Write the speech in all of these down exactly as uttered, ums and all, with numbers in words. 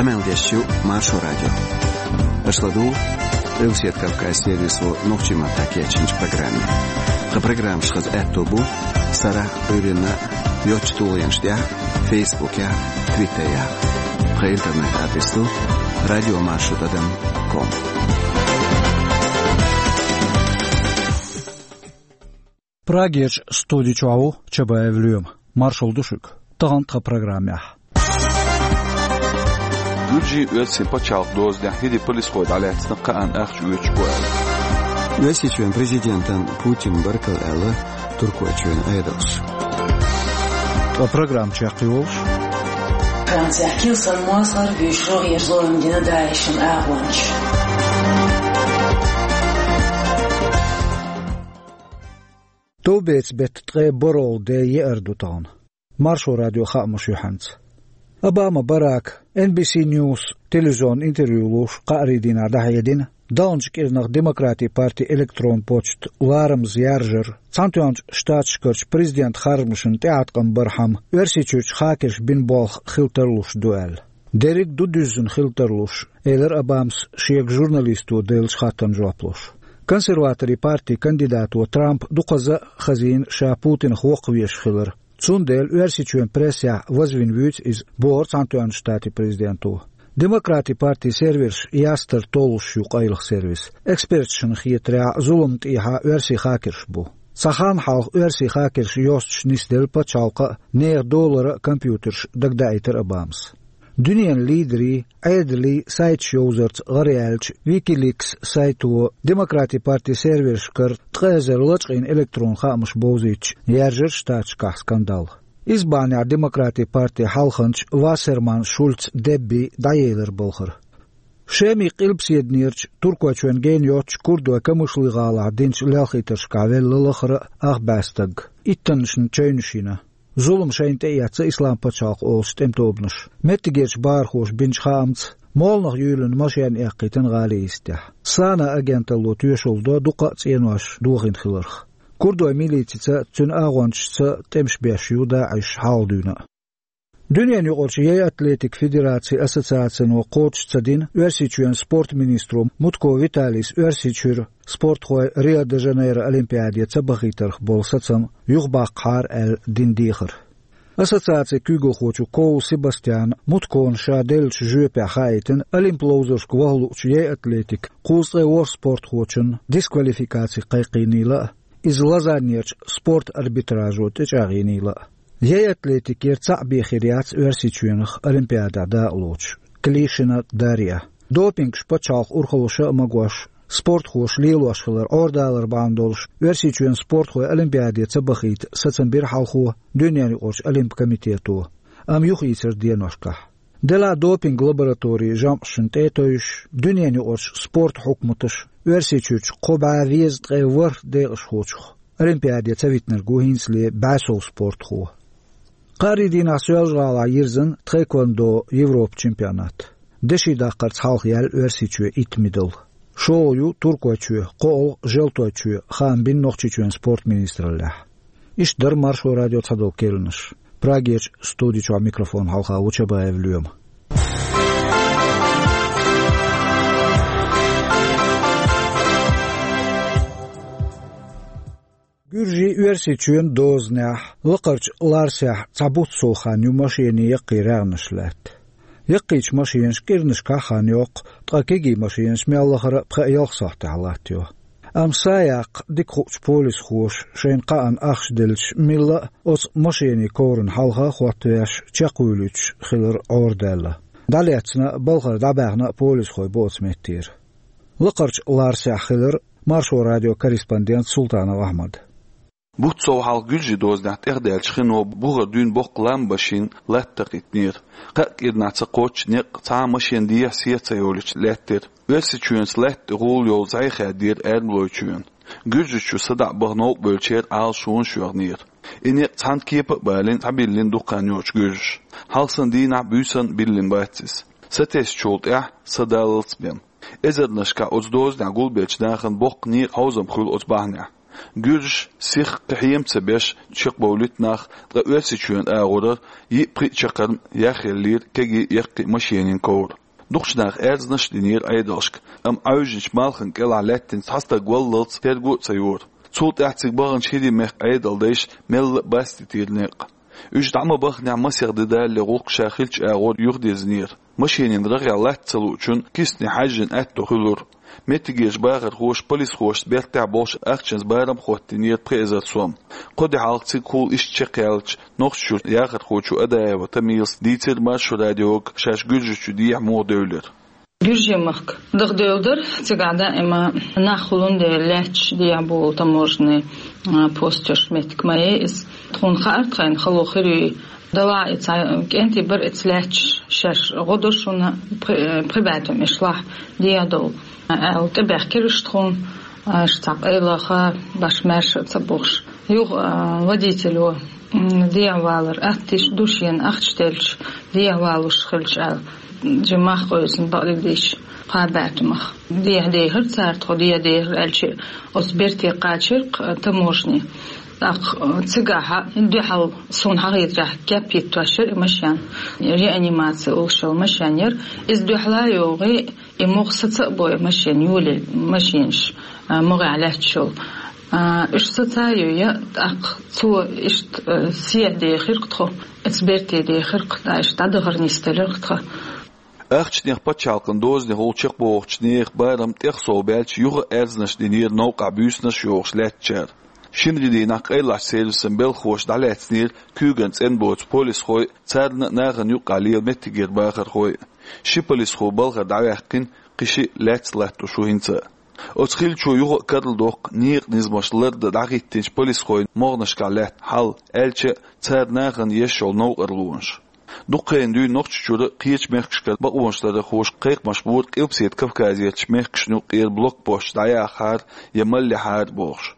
Къамел деш ю Маршо радио. Аша ладугӀу Къилбаседа Кавказан сервисо нохчийн маттахь кечйинчу программе. Тхан программаш хаза аьтто бу сарахь а, Ӏуьйранна а йоцчу тулгӀенаш тӀехь а, Фейсбукехь а, Твиттерехь а. Тхан интернет-адрес ду радио маршо тӀадам ком. Прагерчу студи чохь ву Чабаев Лоьма. Маршалла ду шуьга. Тахана тхан программехь. Гуьржийн, оьрсийн пачхьалкх дозанехь хӀирийн полисхой дӀалаьцна кхаанна ахча оьцуш бу аьлла. Оьрсийчоьнан президентан Путинна баркалла аьлла Туркойчоьнан Ӏедалша. Ткъа программа чекхйолуш. Францехь Килсан мозгӀар буьйш рогӀера зулам дина ДАИШан агӀончаша. Товбецан беттан ткъе бархӀолгӀа де еара ду тахана. Маршо радион хаамаш юьхьанца. Обама Барака Н Б С News телевизионна интервью луш кхаарин дийнахь дӀахьедина, далначу кӀирнах Демократийн партин электрон почта ларамаза яржар, Цхьаьнатоьхначу Штаташкарчу президентан харжамашна тӀеӀаткъам бархьама Оьрсийчуьрчу хакерша бина болх хила тарлуш ду аьлла. Дерриг а ду дуьззина хила тарлуш, элира Обамас шега журналисто деллачу хаттарна жоп луш. Консерваторийн партин кандидато Трампа дукхазза а хазийна ша Путинах воккхавеш хилар. Цундела Оьрсийчоьнан прессехь вазвина вуьйцу иза, бохура Цхьаьнатоьхначу Штатийн президенто. Демократийн партин серверш ястар толлуш ю къайлаха сервис. Эксперташна хетарехь, зуламна тӀехьа оьрсийн хакерш бу. Цхьа хан хьалха оьрсийн хакерша йостуш нисделла пачхьалкха а, нехан долара а компьютерш, дагадаийтира Обамас. Дуьненан лидерийн, Ӏедалийн сайташ йовзарца гӀараяьллачу Wikileaks сайто Демократийн партин сервершкара ткъа эзар лачкъийна электрон хаамаш бовзийтича, яьржира Штаташкахь скандал. Иза бахьанехь Демократийн партин хьалханча Вассерман-Шульц Деббин дӀаелира балхара. Шеман къилбаседанерчу, Туркойчоьнан гена йоцчу курдойн Камышлы-гӀалахь динчу лелхийтаршкахь велла лахара а, ах бӀе стаг. Иттаннашна чевнаш йина. Зулам шайна тӀеэцна Ислам пачхьалкх олучу тӀеман тобанаша. Меттигерчу бахархоша бинчу хаамца, молханах юьйлина машен эккхийтина гӀалин йистехь. САНА агенталло тоьшалла до дуккха а цӀенош дохийна хиларх. Курдойн милицица, цуьнан агӀончашца тӀемаш беш ю ДАИШ хьалха дуьйна а. Дуьненан юкъарчу яй атлетикан федерацин ассоциацино кхочуш ца дина Оьрсийчоьнан спортан министро Мутко Виталийс Оьрсийчуьра спортхой Рио-де-Жанейро Олимпиаде ца бахийтарх болу сацам юхабаккхахьара аьлла дина дехар. Ассоциацин куьйгалхочо Коул Себастьяна Муткона ша деллачу жоьпехь хаийтина, Олимпан ловзаршка ваха луучу яй атлетикан кхузткъе ворхӀ спортхочунна дисквалификаци кхайкхийнийла а, иза Лозаннерчу спортан арбитражо тӀечӀагӀйинийла а. Яй атлетикера цхьаъ бен хир яц Оьрсийчоьнах Олимпиадехь дакъалоцуш Клишина Дарья. Допингаш пачхьалкхан урхаллаша а магош, спортхоша лелош хилар Ӏорадалар бахьана долуш, Оьрсийчоьнан спортхой Олимпиаде ца бахийта сацам бира хьалхо Дуьненан юкъарчу Олимпан комитето, амма юхаийцира деношкахь. Делахь а допинг лабораторийн жамӀашна тӀе а тевжаш, дуьненан юкъарчу спортан хьукматаша Оьрсийчуьрчу кхо бӀе везткъе ворхӀ декъашхочух Олимпиаде ца витинарг ву хӀинцале бӀе сов спортхо. Кхаарин дийнахь Соьлжа-ГӀалахь йирзина тхэквондон Европан чемпионат. Деши даккхарца хьалха яьлла Оьрсийчоь итт медаль. ШолгӀа ю Туркойчоь, кхоалгӀа Желтойчоь, хаам бина Нохчийчоьнан спортан министраллехь. Иштта дара Маршо радион цхьадолу керланаш. Прагерчу студи чохь микрофон хьалха ву Чабаев Лоьма. Гуьржийн, Оьрсийчоьнан дозанехь, Лакхарчу Ларсехь цхьа бутт сов хан ю машенийн яккхий рагӀнаш лаьтта. Яккхийчу машенаш кӀирнашкахь а хан йоккху, ткъа кегий машенаш мел лахара а пхи-ялх сахьтехь латтайо. Амма са яккха дика хуучу полисхоша шайна кхаанна ахча делча, милла а оцу машенийн коврана хьалха а хӀоттавеш, чекхвуьйлуьйтуш хилар Ӏорадаьлла. ДӀалецна а, балхара дӀабаьхна а полисхой бу оцу меттера. Лакхарчу Ларсехь хилира Маршо радион корреспондент Султанов Ахьмад. Бутт сов хьалха гуьржийн дозанехь тӀехдаьллачу хино бухара дуьйна боккха лам башийна латта такхийтинера. Кхаа кӀирнахь ца кхоччу некъ цхьа а машен дехьа-сехьа ца йолуьйтуш лаьттира. Оьрсийчоьнца латта тӀе гӀула йолу зӀе хаьддера Эрмалойчоьнан. Гуьржийчу садаӀа баха новкъа бевллачеран Ӏалашонаш йоьхнера. И некъ цхьана кепа а балийна, схьабиллина дукха хан йоцуш гуьржаша. Хьалха санна дийнахь а, буьйсанна а биллина бац иза. Сатесначул тӀаьхьа са даллалц бен. Эзарнашкахь оцу дозанехь гулбеллачу нахана боккха некъан хьовзам хуьлу оцу бахьанехь. Гуьржаш сиха кхы хьем ца беш чекхбовлийта нах, ткъа Оьрсийчоьнан агӀорара йиъ-пхиъ чаккхарма яхъеллера кегий, яккхий машенийн ковра. Дукхачу наха аьрзнаш а динера Ӏедалшка, амма Ӏовижначу малхан кӀелахь лаьттина цхьа стаг валлалц терго а ца йора. Цул тӀаьхьа цига баханчу ХӀирийн мехкан Ӏедалдайша мелла а бастийтира некъ. Уьш дӀа ма баханехь, масех де далале гӀуллакх ша хиллачу агӀор юхадирзинера. Машенийн рагӀехь латта ца луучунна кисане хьаьжжина аьтто хуьлура. Меттигерчу бахархоша полисхошца бертехь болуш ахчанца барам а хӀоттийнера пхи эзар сом. Кхо де хьалха цига хӀума иштта чекхъяьллачу Нохчийчуьра яхархочо Адаева Тамилас дийцира Маршо радиога шаьш Гуьржийчу дехьа муха девлира. Гуьржийн махка даха девлла дара, цигахь даима нах хуьлун дела лаьтташ дехьа болу таможенный, а, посташ меттиг ма яй иза. Тхуна хаьара тхайна хало хир юй, делахь а и цхьа кӀентий бара, и ца лаьтташ шаьш гӀо до шуна, пхи-, пхи бӀе туьма иштта лахь дехьа довла, аьлла, тӀебаьхкира уьш тхуна, а, уьш цхьа къайлаха, баш маьрша а ца бохуш. Юха, а, водитело, м, дехьавалар атта йиш ду шена, ахча делча дехьавалуш хилча аьлла, жимма мах къевсина бакъдерг дийцича, пхи бӀе туьмах. Дехьа дехира цара, тхо дехьа дехира аьлча, оцу берте кхачира-кх, а, таможни. ТӀаккха, а, цигахь дуьхьал суна хьахийрехь кеп йиттош яра и машен. Реанимаци олуш йолу машен яра. Иза дуьхьал а йогӀий, и могӀа саца а бой машен, йолий машенаш, а, могӀехь лаьтташ йолу. А, уьш саца а йой, тӀаккха цо иштта, а, сехьа дехира-кх тхо, оцу берте дехира-кх, тӀаккха иштта дӀадахар нисделира-кх тхан. Ахчанех, пачхьалкхан дозанех волу чекхбохучу нехан барам тӀехсовбаьлча, юха а аьрзнаш динера новкъахь буьйсанаш а йохуш лаьттачара. Шинарин дийнахь къайлахчу сервисан белхахоша дӀалаьцнера куьйган цӀена боцу полисхой а, царна а, нахана юккъехь лела меттигера бахархой а. Ши полисхо балхара дӀаваьккхина, кхин шиъ лаьцна латтош ву хӀинца а. Оцу хиллачо юха а карладоккху некъан низамаш лардан дӀахӀиттинчу полисхойн могӀанашкахь лаьтта хьал, аьлча а, цара нахана еш йолу новкъарлонаш. Дукха хан дуьйна Нохчийчуьра а, кхечу мехкашкара а бакъонаш ларъярхоша кхайкхамаш бора Къилбаседа Кавказерчу мехкашна юккъера блокпосташ дӀаяхахьара я мел яхьара бохуш.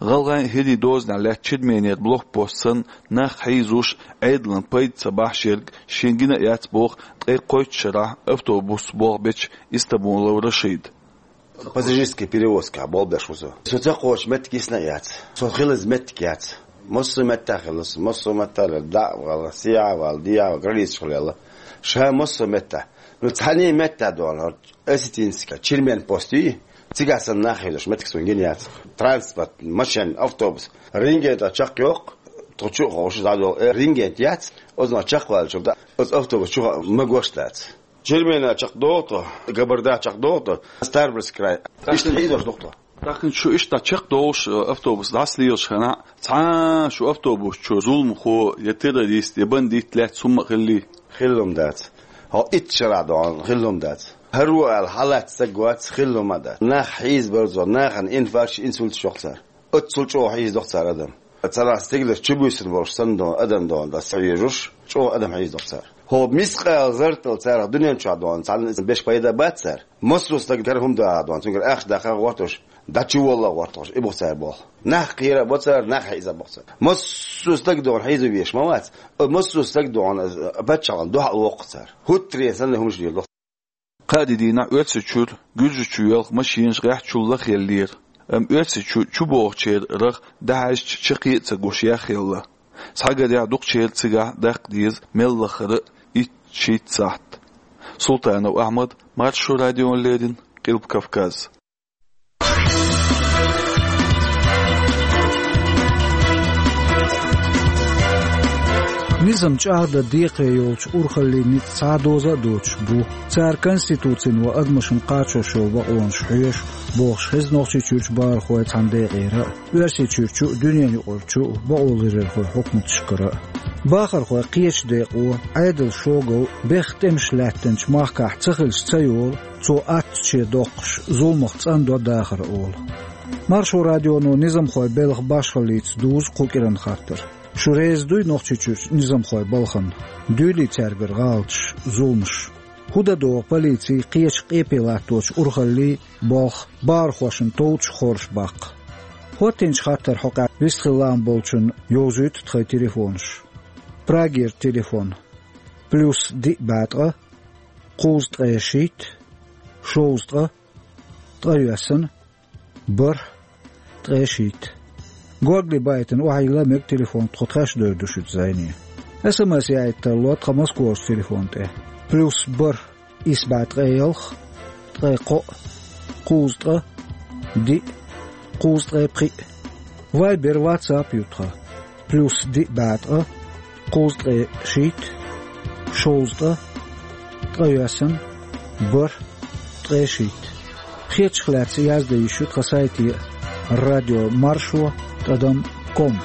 ГӀалгӀайн а, хӀирийн дозанехь лаьтта Черменера блокпост санна, нах хьийзош, Ӏедална пайда ца бахьаш ерг шена гина а яц боху ткъе кхойтта шарахь автобусца болх бечу Истамулов Рашида. Пассажирский перевозкахь болх беш ву со. Со ца кхочу меттиг йисна а яц. Со хилаза меттиг яц. Массо а меттехь хилла со, массо а меттехь лела, дӀа а вала, сехьа а вала, дехьа а вала, границаш хуьлийла. Ша массо а меттехь. Ну, цхьанне а меттехь дуьйна, осетинский, Чермен пост юй, цигахь санна нах хьийзош меттиг суна гина яц. Транспорт, машен, автобус, рентген тӀе чекхйоккху, тхо чу а ховшуш дӀадолу, э, рентген яц, оцунах чекхваьллачул тӀаьхьа оцу автобус чухула магош дац. Чермена чекхдоху тхо, Кабарда чекхдоху тхо, Ставропольский край. Иштта хьийзош ду-кх тхо. ТӀаккха шу иштта чекхдовлуш, э, автобус дӀасалелаш хенахь, цхьа а шу автобус чу зуламхо я террорист, я бандит лаьцна хӀумма а хиллий? Хилла хӀума дац. Хьо итт шарахь дуьйна хилла хӀума дац. ХӀара ву аьлла хьалаьцна стаг вац, хилла хӀума а дац. Нах хьийзабар цо, нахана инфаркташ, инсульташ йоккху цара. Оццул чӀогӀа хьийзадоккху цара адам. Царах стиглара чубуьйсина болуш санна дуьйна адам дуьйна дӀасавежаш, чӀогӀа адам хьийзадоккху цара. ХӀо мискъала зарратал царах дуьнен чохь дуьйна цхьанна беш пайда бац цара. Массо а стаг кара хӀума даха дуьйна, цуьнгара ахча даха а гӀортош, дӀачуволла а гӀортош, и бу цара болх. Нах кхера а бо цара, нах хьийза а бо цара. Массо а стаг дуьйна хьийза веш ма вац, массо а стаг дуьйна паччахьна дуьхьал воккху цара. ХӀуттаренна санна хӀумаш леладо. Кхаа де дийнахь Оьрсийчуьра Гуьржийчу йоьлху машенаш гӀеххьачул лахъеллера, амма Оьрсийчу чубогӀучеран рагӀ дӀахьаьжча чаккхе а ца гуш яхъелла. Схьагарехь, дукхачеран цигахь даккха деза мел лаххара а итт-шийтта сахьт. Султанов Ахьмад, Маршо радиона леррина, Къилба Кавказ. Низам чӀагӀдан декхаре йолчу урхаллийн ницкъ цхьа а доза а доцуш бу. Цара Конституцино адамашна кхачош йолу бакъонаш хьоьшу, бохуш хеза Нохчийчуьрчу бахархойн цхьана декъера а, Оьрсийчуьрчу а, дуьненаюкъарчу а бакъоларъярхойн хьукматашкара а. Бахархойн кхечу декъо, Ӏедалан шогал бехк тӀемаш лаьттинчу махкахь ца хилча ца йолу, цо аттачу доккхуш, зуламах цӀандо дахар олу. Маршо радионо низамхойн белхан башхаллица дузу кху кӀиран хаттар. Шу реза дуй Нохчийчуьрчу низамхойн балхана? Дуьйлий цаьргара гӀалаташ, зуламаш? ХӀун дан догӀу полицин кхечу къепе латточу урхаллийн болх бахархошна товчу хорша баккха? ХӀоттийначу хаттаран хьокъехь вистхила лаам болчунна йовзуьйту тхайн телефонаш. Прагера телефон: плюс диъ бӀе ткъа, кхузткъе шийтта, шовзткъа, ткъайоьсна, бархӀ, ткъе шийтта. Горгали байтина охьайилла мега телефон, тхо тхаьш девр ду шуьца зӀене. СМС яийта тарло тхан Москварчу телефон тӀе: плюс бархӀ, исс бӀе ткъе ялх, ткъе кхоъ, кхузткъа, диъ, кхузткъе пхиъ. Вайбер, ватсап ю тхан: плюс диъ бӀе ткъа, кхузткъе шийтта, шовзткъа, ткъайоьсна, бархӀ, ткъе шийтта. Хетачух лаьцна яздан йиш ю тхан сайте: радио маршо тӀадам ком.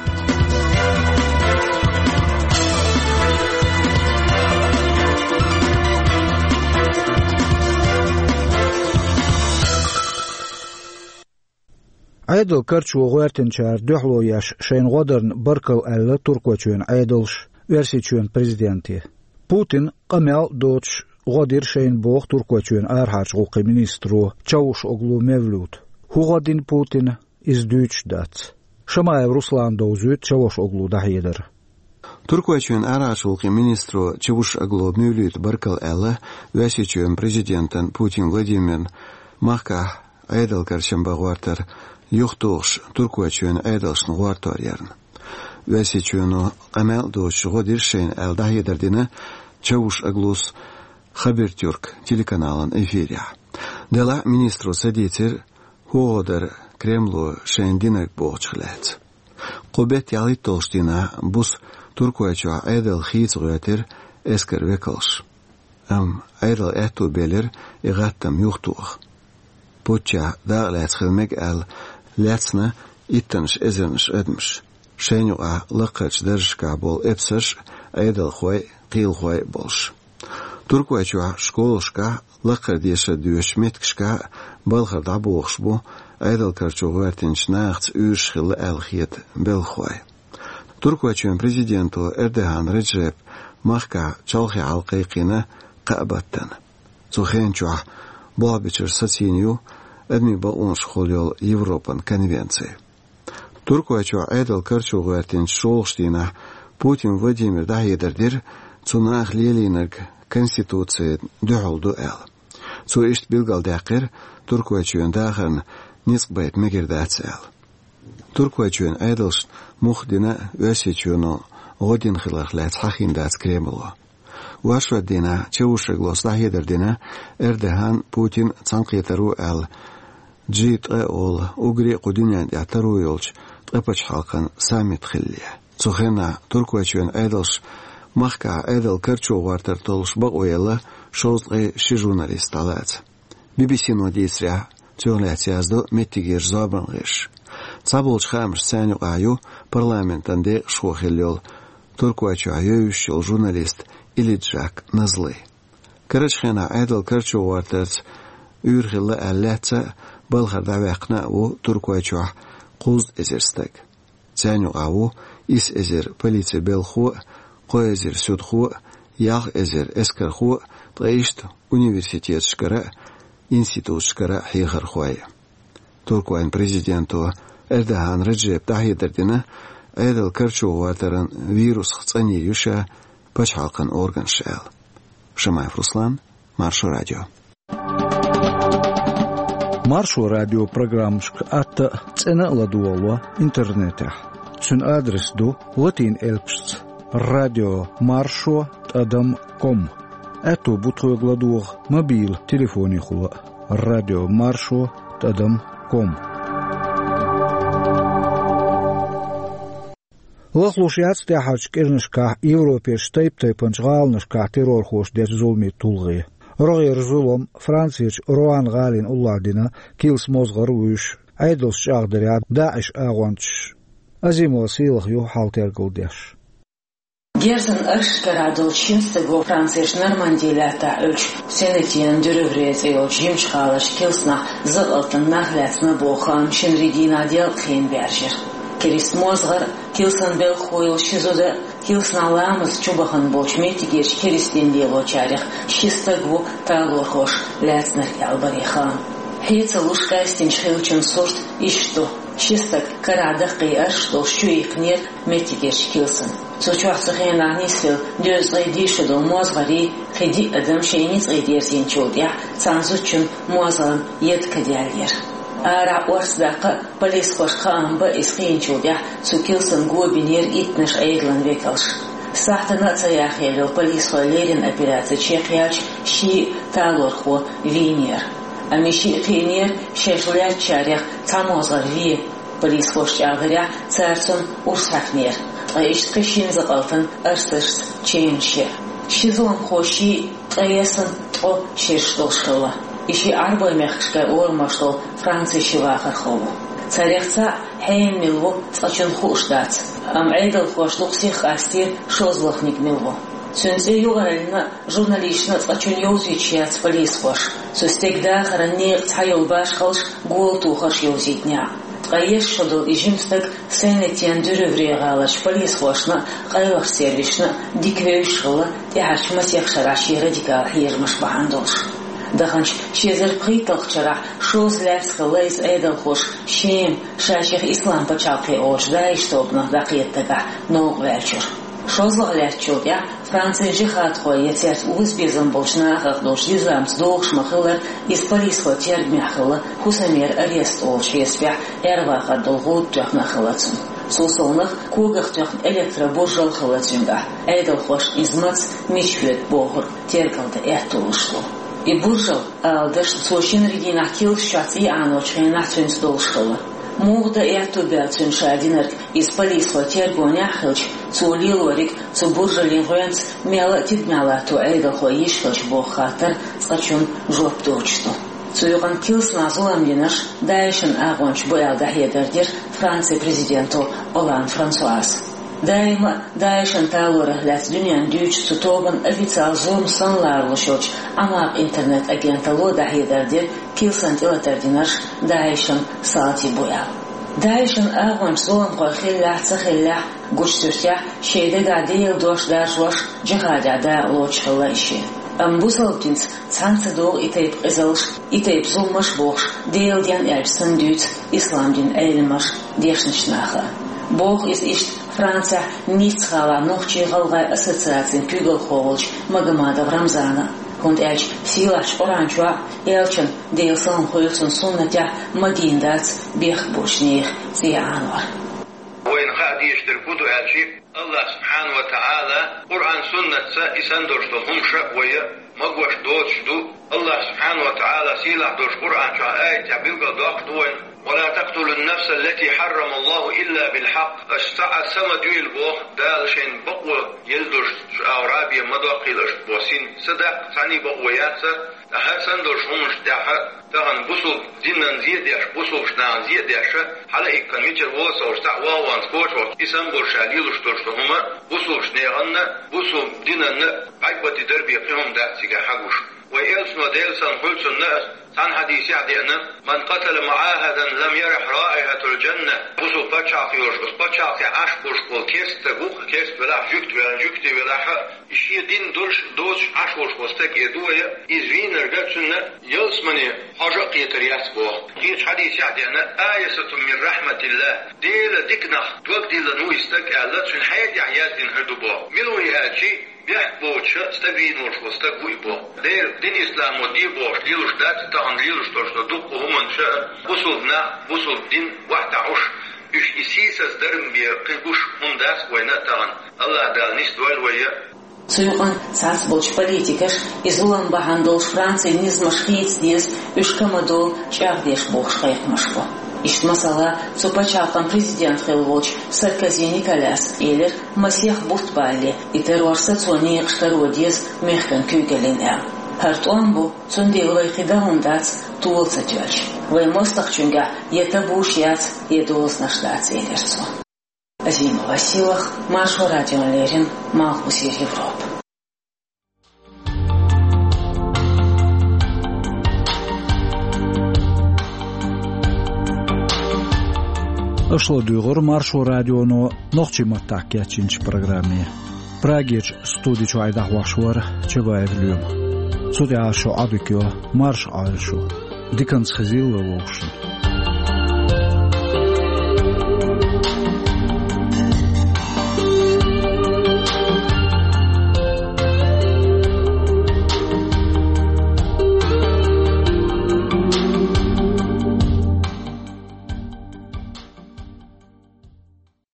Ӏедал карчо гӀоьртинчара дуьхьало еш шайна гӀо дарна баркалла аьлла Туркойчоьнан Ӏедалша Оьрсийчоьнан президенте. Путина къамел а доцуш гӀо дира шайна, боху Туркойчоьнан арахьарчу гӀуллакхийн министро Чавушоглу Мевлюта. ХӀун гӀо дина Путина, иза дуьйцуш дац. Шамаев Руслана довзуьйту Чавушоглун дӀахьедар. Туркойчоьнан арахьарчу гӀуллакхийн министро Чавушоглу Мевлюта баркалла аьлла Оьрсийчоьнан президентана Путин Владимирна махкахь Ӏедал карчам бан гӀортар юхатухуш Туркойчоьнан Ӏедалшна гӀортор ярна. Оьрсийчоьно къамел а доцуш гӀо дира шайна аьлла дӀахьедар дина Чавушоглус Хабертюрк телеканалан эфирехь. Делахь а министро ца дийцира, хӀун гӀо дара Кремло шайна динарг бохучух лаьцна. Кху беттан ялхитталгӀачу дийнахь буса Туркойчохь Ӏедал хийца гӀоьртира эскаран векалша. Амма Ӏедалан аьтту белира и гӀаттам юхатоха. Путчехь дакъа лаьцна хила мега аьлла лаьцна иттаннаш эзарнаш адамаш. Шайна юкъахь лакхарчу даржашкахь болу эпсарш а, Ӏедалхой а, кхелахой а болуш. Туркойчохь школашкахь, лакхара дешар доьшучу меттигашкахь а балхара дӀабохуш бу Ӏедал карчо гӀоьртинчу нахаца уьйраш хилла аьлла хета белхалой. Туркойчоьнан президенто Эрдоган Реджепа махкахь чолхе хьал кхайкхийна кхаа баттана. Цу хенан чохь болх бечуьра сацийна ю адамийн бакъонашкахула йолу Европан конвенци. Туркойчохь Ӏедал карчо гӀоьртинчу шолгӀачу дийнахь Путин Владимира дӀахьедар дира, цу наха лелийнарг конституцина дуьхьал ду аьлла. Цо иштта билгалдаьккхира, Туркойчоьнан дахарна ницкъ байта мегар дац аьлла. Туркойчоьнан Ӏедалшна муха дина а Оьрсийчоьно гӀо дина хиларх лаьцна хьахийна дац Кремло. Вайшотдийнахь Чавушоглус дӀахьедар дина Эрдоган, Путин цхьаьнакхетар ву аьлла, джи ткъа олу, уггаре а кху дуьнен тӀехь таро йолчу ткъа пачхьалкхан саммит хилале. Цу хенахь Туркойчоьнан Ӏедалша махкахь Ӏедал карчо гӀортар толлуш бакъо елла шовзткъе ши журналист дӀалаца. Би-би-сино дийцарехь, цунах лаьцна яздо меттигерчу зорбанан гӀирсаша. Цхьаболчу хаамашца царна юкъахь ю парламентан декъашхо хилла йолу, Туркойчохь евзаш йолу журналист Илиджак Назли. Карарчу хенахь Ӏедал карчо гӀортарца уьйр хилла аьлла лаьцна а, балхара дӀаваьккхина а ву Туркойчохь кхузткъа эзар стаг. Царна юкъахь ву исс эзар полицин белхахо а, кхо эзар суьдхо а, ялх эзар эскархо а, ткъа иштта университеташкара а, институташкара а хьехархой. Туркойн президенто Эрдоган Реджепа дӀахьедар дина, Ӏедал карчо гӀортаран вирусах цӀанйийр ю ша пачхьалкхан органаша аьлла. Шамаев Руслан, Маршо радио. Маршо радион программашка атта а, цӀена а ладогӀало интернетехь. Цуьнан адрес ду латин элпашца: радио маршо тӀадам ком. Аьтто бу тхоьга ладогӀа мобил телефонехула а: радио маршо тӀадам ком. Лахлуш яц тӀаьххьарчу кӀирнашкахь Европерчу тайп-тайпанчу гӀаланашкахь террорхоша дечу зуламийн тулгӀе. РогӀера зулам Францерчу Руан гӀалина уллохь дина килсан мозгӀар а вуьйш, Ӏедалша чӀагӀдарехь, ДАИШ агӀончаша. Азимова Сийлаха ю хьал тергал деш. Герзан арш карахь долчу шина стага Францерчу Норманди лаьттахь Ӏуьллучу Сен-Этьен-дю-Ревре цӀе йолчу жимачу гӀаларчу килсанахь закъалтан нах лаьцна боху хаам шинарин дийнахь делкъахь баьржира. Керист мозгӀар а, килсан белхахо йолу ши зуда а, килсанахь ламаз чу бахана болчу меттигерчу керистийн лелочарех ши стаг ву талорхоша лаьцнарг аьлла баре хаам. Хье ца луш къаьстинчу хиллачун сурт иштта ду: ши стаг карахь даккхий арш долуш чуиккхинера меттигерчу килсана. Цу чохь цу хенахь нисвелла дезткъе диъ шо долу мозгӀарий, кхин диъ адам шайн ницкъе дерзийначул тӀаьхьа цхьана зудчун мозгӀан еда каделлера. Арахь орца даккха а, полисхошка хаам бан а, иза хиначул тӀаьхьа цу килсан го бинера иттанаш Ӏедалан векалш. Сахьтана а ца яхъелла йолу полисхойн леррина операци чекхъяьлча, ши а талорхо вийнера. Амма и шиъ кхиънера шаьш лаьцначарех цхьа мозгӀар вен. Полисхоша чӀагӀдарехь, цара цунна урс хьаькхнера, ткъа иштта кхин шина закъалтана арсашца ченаш яра. Ши зуламхо шиъ ткъе ялх, ткъе ткъа шераш долуш хилла. И шиъ Ӏарбойн мехкашкара орамаш долу Францин ши вахархо ву. Царех цхьаъ хьенан мила ву цкъачунна хууш дац, амма Ӏедалхоша дукха сих къастийра шозлагӀниг мила ву. Цуьнан цӀе юкъараллина а, журналисташна а цкъачунна йовзуьйтуш яц полисхоша. Цу стеган дахаран некъа цхьа йолу башхаллаш, гола тухарш йовзийтинехь а. Ткъе ялх шо долу и жима стаг Сен-Этьен-дю-Рювре гӀаларчу полисхошна а, къайлахчу сервисашна а дика вевзаш хилла, тӀаьхьарчу масех шарахь шен радикал хьежамаш бахьана долуш. Даханчу ши эзар пхийтталгӀачу шарахь шозза лаьцна хилла иза Ӏедалхоша Шема, ша шех Ислам пачхьалкхе олучу ДАИШ тобанах дӀакхета дагахь новкъа ваьллачуьра. ШозлагӀа лаьттачул тӀаьхьа Францин жихӀадхой я цаьрца озабезам болчу нахах долчу низамца догӀуш ма-хиллара, иза полисхойн тергамехь хилла, хӀусамера арест олучу хьесапехь, Ӏер-вахар долу гӀуда тоьхна а хилла цунна. Цул совнаха, когах тоьхна электробуржал а хилла цуьнгахь, Ӏедалхоша иза маца, мича хьоьду бохург тергалдан аьтто луш ду. И буржал, ала дашна, цо шинарин дийнахь килсаш чохь цӀий Ӏаночу хенахь цуьнца долуш хилла. Муха дан аьтто баьлла цуьнан ша динарг, иза полисхойн тергонехь а хилча, цо лелориг цу буржалан гӀоьнца мелла а тидамехь латто Ӏедалхой йиш хилча боху хаттар цкъачунна жоп доцуш ду. Цу юкъана килсанахь зулам динарш ДАИШан агӀончаш бу аьлла дӀахьедар дира Францин президенто Олланд Франсуаза. Даима а ДАИШан талорах лаьцна дуьненна дуьйцучу цу тобанан официалан зурма санна ларалуш йолчу Ӏамакъ интернет-агенталло дӀахьедар дира килсан тӀелатар динарш ДАИШан салтий бу аьлла. ДАИШан агӀончаш зуламхой хиллехь а, ца хиллехь а, гучу суьртехь, шайн дагахь Делан дош даржош, джихӀадехь дакъа лоцуш хилла и шиъ. Амма бусалба динца цхьаьна ца догӀу и тайпа къизаллаш, и тайпа зуламаш бохуш, Делан ден аьлча санна дуьйцу ислам динан Ӏеламнаха, дешначу наха. Боху иза иштта Францехь Ницца-гӀалахь нохчий-гӀалгӀай ассоциацин куьйгалхо волчу Магомадов Рамзана. ХӀунда аьлча сийлахьчу Къуръан чохь а, элчан, Делан салам хуьлда цунна, суннатехь ма дийна дац бехк боцчу нехан цӀий Ӏанор. Вайна хаа дезаш дерг хӀун ду аьлча, АллахӀ субхьана ва тагӀала Къуръан-суннатца и санна долуш долу хӀумаш а вай магош доцуш ду. АллахӀ субхьана ва тагӀала сийлахь долчу Къуръан чохь аятехь билгалдоккхуш ду вайна: «Ва ла такътулун-нафса ллати хьаррама Аллаху илла бил хьакъ». Аша цхьа а са ма дуьйла боху, Дала шайна бакъо елла долуш, шу агӀора бен ма доккхийла аша боху син. Са даккха цхьаьнний бакъо яц. Ткъа хӀара санна долчу хӀуманаш тӀехь тахана бусулба динан зе а деш, бусулбачу нахана зе а деш, хьала а иккхана мичара вола а ца хууш, цхьаъ ван-ван коча волчу, и санна болуш ша лелош долуш ду хӀума, бусулбачу неханна, бусулба динанна бӀаьрг бан тидар бен кхин хӀума дац цигахь хьагуш. Вай элчано, Делан салам хуьлда цунна, цхьана хьадисехь деана: «Ман къатала муӀахадан лам ярихь раихьатал джанна». Бусулба пачхьалкх йолуш, оцу пачхьалкхехь Ӏаш болуш болу керста стаг ву-кх, керста велахь, жуьгти велахь, жуьгти велахь, и шен дин долуш, доцуш Ӏаш волуш волу стаг, эр ду вай, иза вийнарг цуьнан ялсамане хьожа а кхетар яц боху. Кхечу хьадисехь деана: «Айисатун мин рахьматиллахь». Делан диканах дог диллина ву и стаг аьлла, цуьнан хьаьжехь яздина хир ду боху. Мила ву и аьлча, бехк боцуш стаг вийна волуш волу стаг ву и боху. Делан дин исламо де бохуш лелош дац тахана лелош долуш долу дуккха хӀуманаш а, бусулба нах, бусулба дин вахтахь уш, уьш и сийсаз дарба бен кхин гуш хӀума дац вайна а тахана. АллахӀ Дала нисдойла вай а. Цу юкъана цхьацца болчу политикаша и зулам бахьана долуш Францин низамаш хийца деза, уьш ка ма долу чӀагӀдеш бохуш кхайкхамаш бу. Иштта, масала, цу пачхьалкхан президент хилла волчу Саркози Николяса элира, масех бутт балале, и террор сацо некъаш каро деза мехкан куьйгаллина аьлла. ХӀара тӀом бу, цундела вай кхин дан хӀума дац тола ца тоьлча. Вайн мостагӀчуьнгахь я табуш яц, я дозанаш дац, элира цо. Азима Василах, Маршо радиона леррина, Малхбузера Европа. Аша ладуьйгӀура Маршо радионо нохчийн маттахь кечйинчу программе. Прагерчу студи чуьра дӀахьош вара Чабаев Лоьма. Цу тӀехь шу Ӏодика йо, марша Ӏойла шу. Диканца хезийла вовшашна.